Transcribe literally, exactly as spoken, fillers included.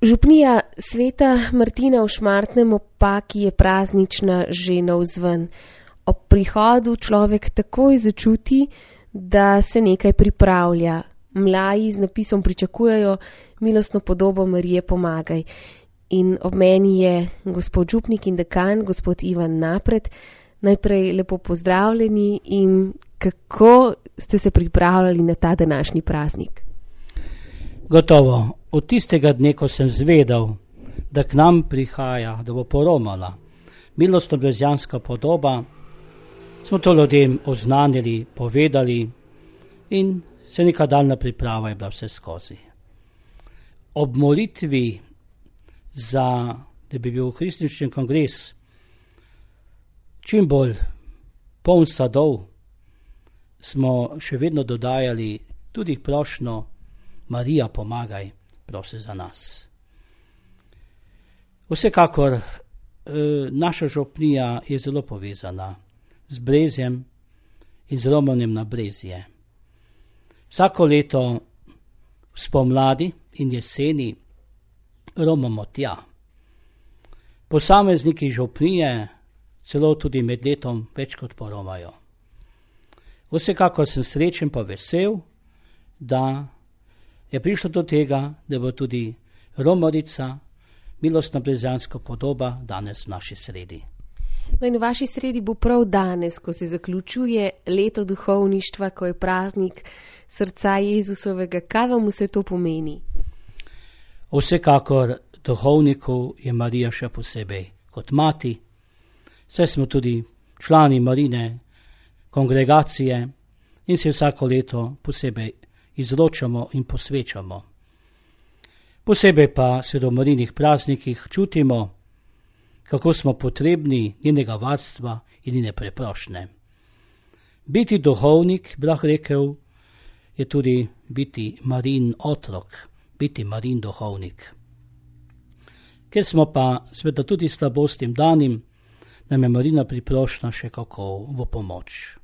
Župnija Sveta Martina v Šmartnem ob Paki je praznična že navzven. Ob prihodu človek takoj začuti, da se nekaj pripravlja. Mlaji z napisom pričakujejo milostno podobo Marije Pomagaj. In ob meni je gospod župnik in dekan, gospod Ivan Napret. Najprej lepo pozdravljeni in kako ste se pripravljali na ta današnji praznik? Gotovo, od tistega dne, ko sem zvedel, da k nam prihaja, da bo poromala milostno-brezjanska podoba, smo to ljudem oznanili, povedali in se neka daljna priprava je bila vse skozi. Ob molitvi za, da bi bil kristični kongres čim bolj poln sadov, smo še vedno dodajali tudi prošnjo Marija, pomagaj, prosi za nas. Vsekakor, eh, naša župnija je zelo povezana z Brezjem in z romanjem na Brezje. Vsako leto spomladi in jeseni romamo tja. Posamezniki župnije celo tudi med letom več kot poromajo. Vsekakor sem srečen pa vesel, da je prišlo do tega, da bo tudi romarica, milostno-brezjanska podoba danes v naši sredi. No in v vaši sredi bo prav danes, ko se zaključuje leto duhovništva, ko je praznik srca Jezusovega. Kaj vam vse to pomeni? Vsekakor duhovnikov je Marija še posebej kot mati. Saj smo tudi člani Marine kongregacije in se vsako leto posebej izločamo in posvečamo. Posebej pa se do Marinih praznikih čutimo, kako smo potrebni njenega varstva in njene preprošnje. Biti duhovnik, bi lahko rekel, je tudi biti Marin otrok, biti Marin duhovnik. Ker smo pa sveda tudi slabostim danim, nam je Marina priprošnja še kako v pomoč.